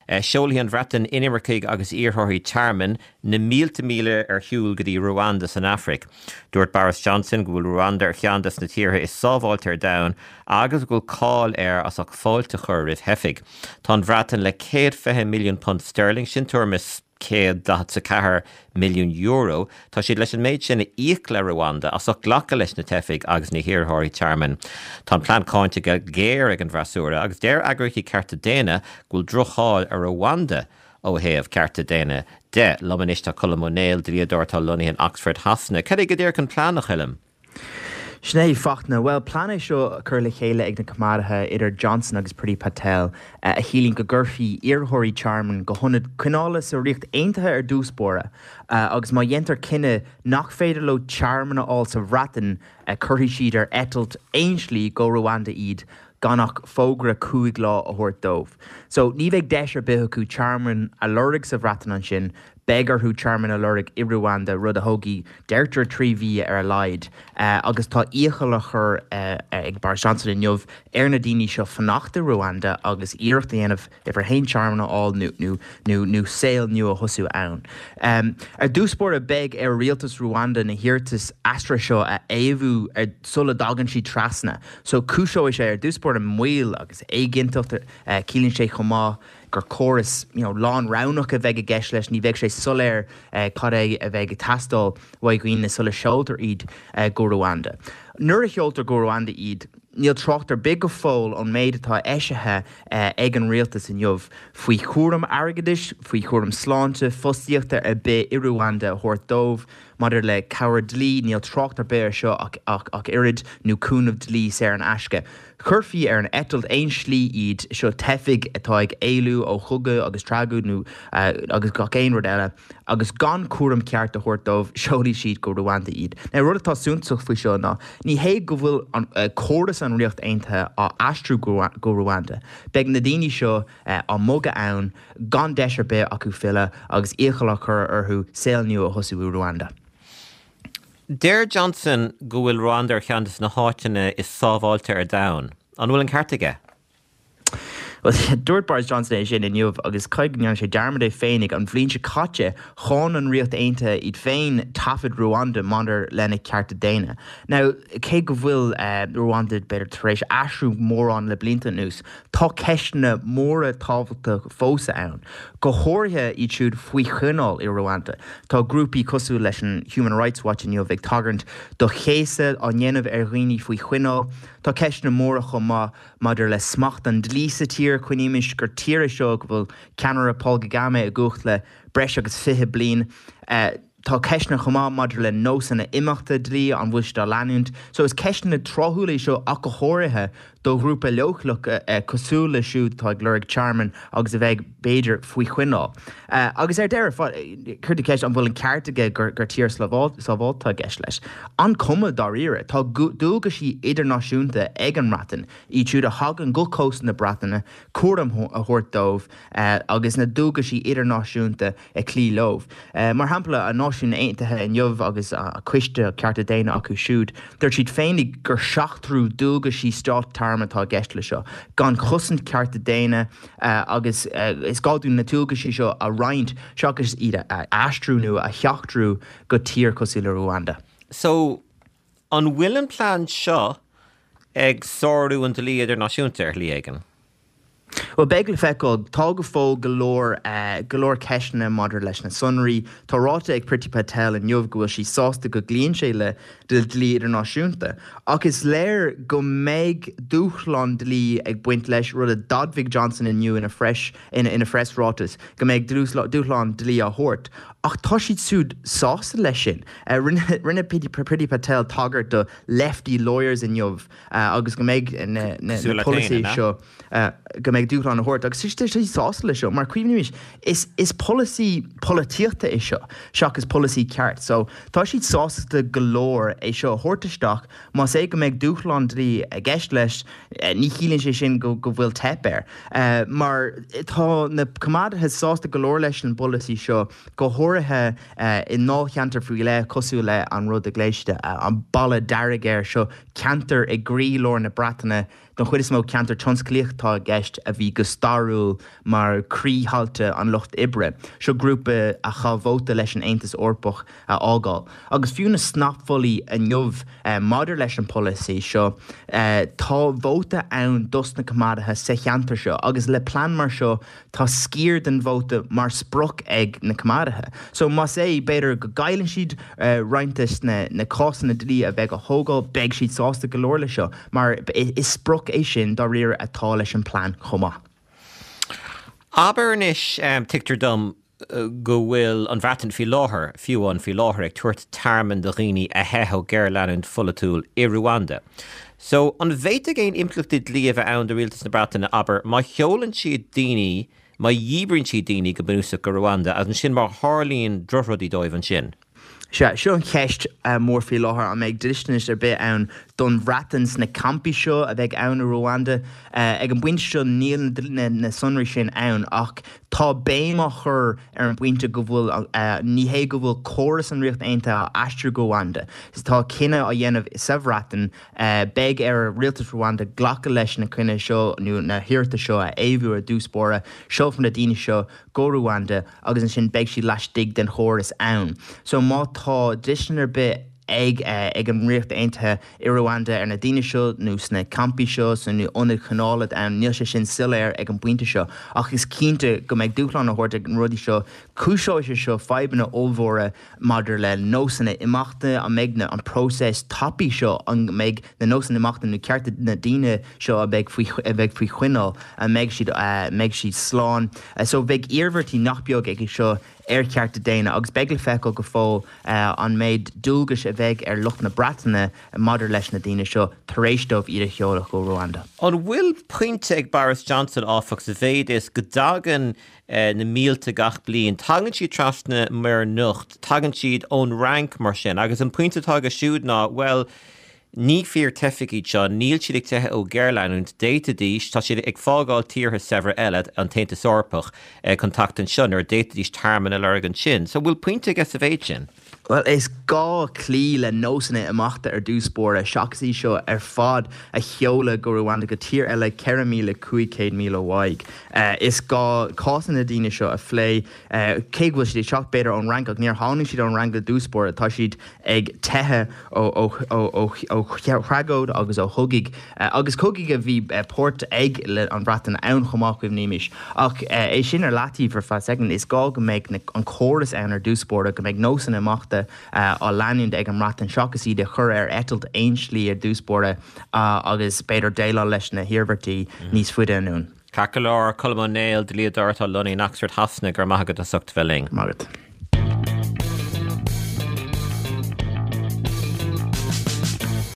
Seolfaidh an Bhreatain inimircigh agus iarrthóirí tearmainn na mílte míle ar shiúl go dtí Ruanda san Afraic. Dúirt Boris Johnson go bhfuil Ruanda ar cheann des na tíortha is sábháilte ar domhan agus go bhfuil cáil air as ucht fáilte a chur roimh theifigh. Tá an Bhreatain le £120 milliún sterling, sin tuairim is €144 milliún, tá siad leis an méid sin a íoc le Ruanda as ucht glacadh leis na teifigh agus na hiarrthóirí tearmainn. Tá an plean cáinte go géar ag an bhfreasúra agus deir eagraíochtaí cearta daonna go bhfuil droch-cháil ar Rwanda ó thaobh cearta daonna de. Liom anois tá Colm Ó Néill, dlíodóir atá lonnaithe in Oxford Shasana. Cad é go díreach an plean, a Choilm? Sin é, Fachtna. Bhuel, plean é seo curtha le chéile ag na coimeádaithe, idir Johnson agus Priti Patel, a chiallaíonn go gcuirfí iarrthóirí tearmainn go hionad coinneála sa Ríocht Aontaithe ar dtús báire, agus má dhéantar cinneadh nach féidir leo tearmann a fháil sa Bhreatain, cuirfidh siad ar eitilt aon slí go Ruanda iad gan ach fógra 5 lá a thabhairt dóibh. So, ní bheidh deis ar bith acu tearmann a lorg sa Bhreatain ansin, beidh orthu tearmann a lorg i Ruanda, rud a thógfaidh, deirtear, 3 mhí ar a laghad. Agus tá iachall á chur ag Boris Johnson inniu ar na daoine seo fanacht i Ruanda agus iarracht a dhéanamh uimhir a haon tearmann a fháil nó nó saol nua a thosú ann. Ar dtús báire beidh ar rialtas Ruanda na hiarratais aistrithe seo a fhaomhadh sula dtagann siad trasna. So cúiseoidh sé ar dtús báire moill agus éiginnteacht. Ciallaíonn sé chomh maith gur córas you know lánroghnach a bheidh i gceist leis, ní bheidh sé soiléir cad é a bheidh ag teastáil uaidh dhaoine sula seoltar iad go Ruanda. Nuair a sheoltar go Ruanda iad, níl trácht ar bith go fóill ón méid atá eisithe ag an rialtas inniu faoi chúram airgeadais, faoi chúram sláinte, fostaíochta ar bith i Ruanda a thabhairt dóibh. Maidir le cabhair dlí, níl trácht ar bith air seo ach oiread, nó cúnamh dlí saor in aisce. Chuirfí ar an eitilt aon slí iad, seo teifigh atá ag éalú ó chogadh agus tragóid nó agus gach aon rud eile, agus gan cúram ceart a thabhairt dóibh, seolfaidh siad go Ruanda iad. Now, rud atá suntasach faoi seo ná, ní hé go bhfuil córas an Ríocht Aontaithe á aistriú go Ruanda. Beidh na daoine seo á mbogadh ann, gan deis ar bith acu filleadh agus iachall á chur orthu saol nua a thosú i Ruanda. Deir Johnson go bhfuil Ruanda ar cheann de na háiteanna is sábháilte ar domhan. An bhfuil an ceart aige? Bhuel, dúirt Boris Johnson é sin inniu agus caithfidh go ndearna sé dearmad é féinig. An bhliain seo caite, cháin an Ríocht Aontaithe iad féin taifid Ruanda maidir lena cearta daonna. Now, cé go bhfuil Ruanda, b'fhéidir, tar éis athrú mórán le blianta anuas, Tá ceisteanna móra tábhachtacha fós ann, go háirithe iad siúd faoi choinneáil i Ruanda. Tá grúpaí cosúil leis an Human Rights Watch inniu ag tagairt do chéasadh á ndéanamh ar dhaoine faoi choinneáil. Tá ceisteanna móra chomh maith maidir le smacht an dlí sa tír. Cuimhnímis gur tír é seo go bhfuil ceannaire Paul Kagame i gcumhacht le breis agus 20 bliain. Tá ceisteanna chomh maith maidir le nósanna imeachta dlí, an bhfuil siad á leanúint? So is ceisteanna tráthúla í seo ach go háirithe do ghrúpa leochaileach cosúil leo siúd atá ag lorg tearmainn agus a bheidh, b'fhéidir, faoi choinneáil. Agus ar deireadh, cuir tú ceist an bhfuil an ceart aige gur tír sábháilte atá i gceist leis. An cuma dáiríre? Tá dualgaisí idirnáisiúnta ag an mBreatain, iad siúd a thagann go cósta na Breataine, cúram a thabhairt dóibh agus na dualgaisí idirnáisiúnta ag cloí leo. Mar shampla, an Náisiúin Aontaithe inniu agus a Coiste Cearta Daonna acu siúd, dúirt siad féinig gur seachtrú dualgaisí stát tearmainn atá i gceist le seo, gan chosaint cearta daonna agus is gá dúinn na dualgaisí seo a roinnt seachas iad a aistriú nó a sheachtrú go tír cosúil le Ruanda. So, an bhfuil an plean seo ag sárú an dlí idirnáisiúnta ar shlí éigin? Bhuel, beidh le feiceáil. Tá go fóill go leor, go leor ceisteanna maidir leis na sonraí. Tá ráite ag Priti Patel inniu go bhfuil sí sásta go gcloíonn sé le dlí idirnáisiúnta. Ach is léir go mbeidh dúshlán dlí ag baint leis, rud a d'admhaigh Johnson inniu ina phreas, ina phreasráiteas, go mbeidh dúshlán dlí á thabhairt. Ach tá siad siúd sásta leis sin. Rinne, rinne Priti Patel tagairt do lefty lawyers inniu. agus go mbeidh na polasaithe seo, go mbeidh dúshlán á thabhairt agus tá siad sásta leis seo mar cuimhnímis, is polasaí polaitíochta é seo seachas polasaí ceart. So tá siad sásta go leor é seo a thabhairt isteach más é go mbeidh dúshlán dlí i gceist leis, ní chiallaíonn sé sin go bhfuil teip air mar tá na coimeádaithe sásta go leor leis an bpolasaí seo go háirithe i ndáilcheantar faoi leith cosúil le an rud a ghlaoigh siad an Balla Dearg air seo, ceantar i gcroílár na Breataine. Don chuid is mó ceantar tionsclaíoch atá i gceist a bhí go stairiúil mar croíthailte an lucht oibre. Seo grúpa a chaith vóta leis an Aontas Eorpach a fhágáil. Agus fiú na snapmholtaí inniu maidir leis an polasaí seo, tá vóta ann dos na Coimeádaithe sa cheantar seo agus le plean mar seo tá sciar den vóta mar sprioc ag na Coimeádaithe. So más é, b'fhéidir go gcailleann siad roinnt des na cásanna dlí a bheidh á thógáil, beidh siad sásta go leor le seo mar is sprioc é sin dáiríre atá leis an plean chomh maith. Abair anois, tuigtear dom go bhfuil an Bhreatain faoi láthair, fiú amháin faoi láthair, ag tabhairt tearmainn do dhaoine a theith ó ghéarleanúint pholaitiúil i Ruanda. So, an bhféadfadh aon impleachtaí dlí a bheith ann do rialtas na Breataine, abair, má sheolann siad daoine, má dhíbríonn siad daoine go bunúsach go Ruanda, agus ansin má tharlaíonn drochrudaí dóibh ansin? Sea, seo an cheist mhór faoi láthair, an mbeidh dlisteanas ar bith ann don Bhreatain sna campaí seo a bheidh ann i Ruanda? Ag an bpointe seo níl na sonraí sin ann ach tá béim á chur ar an bpointe go bhfuil, ní hé go bhfuil córas an Ríocht Aontaithe á aistriú go Ruanda. Tá cinneadh á dhéanamh sa Bhreatain, beidh ar rialtas Ruanda glacadh leis na coinne seo nó na hiarratais seo a fhaomhadh ar dtús báire, seolfar na daoine seo go Ruanda agus ansin beidh siad laistigh den chóras ann. So má tá dlistean ar bith ag ag an Ríocht Aontaithe i Ruanda ar na daoine seo nó sna campaí seo sna ionaid choinneála ann, níl sé sin soiléir ag an bpointe seo. Ach is cinnte go mbeidh dúshlán á thabhairt ag na rudaí seo. Cúiseoidh sé seo fadhbanna ollmhóra maidir le nósanna imeachta, an mbeidh na an próiseas tapaidh seo, an mbeidh na nósanna imeachta nó cearta na daoine seo a bheidh faoi a bheidh faoi choinneáil, an mbeidh siad mbeidh siad slán. So beidh iarmhairtí nach beag aige seo ar chearta daonna agus beidh le feiceáil go fóill an méid dualgais a bheidh ar lucht na Breataine maidir leis na daoine seo tar éis dóibh iad a sheoladh go Ruanda. An bhfuil pointe ag Boris Johnson, áfach, sa mhéid is go dtagann na mílte gach bliain. Tagann siad trasna Muir Niocht, tagann siad ón Fhrainc mar sin, agus an pointe atá aige siúd ná, bhuel, ní fíor-teifigh iad seo, níl siad ag teitheadh ó ghéarleanúint, d'fhéadfaidís, tá siad ag fágáil tíortha saibhre eile, an tAontas Eorpach, chun teacht anseo nuair a d'fhéadfaidís tearmann a lorg ansin. So, bhfuil pointe aige sa mhéid sin? Bhuel, is gá cloí le nósanna imeachta ar dtús báire, seachas iad seo ar fad a sheoladh go Ruanda, go tír eile 4,500 míle uaidh. Is gá cásanna na daoine seo a phlé, cé go bhfuil siad ag teacht, b'fhéidir, ón Fhrainc, ach níor tháinig siad ón Fhrainc i dtús báire, tá siad ag teitheadh ó thragóid agus ó chogaidh, agus cogaidh a bhí páirt ag an Bhreatain ann chomh maith, cuimhnímis. Ach é sin ar leataobh ar feadh soicind, is gá go mbeidh an córas ann ar dtús báire, go mbeidh nósanna imeachta á leanúint ag an mBreatain seachas iad a chur ar eitilt aon slí ar dtús báire agus b'fhéidir déileáil leis na hiarmhairtí níos faide anonn. Ceart go leor, Colm Ó Néill, dlíodóir atá lonnaithe in Oxford Shasana, go raibh maith agat as ucht a bheith linn. Maith agat.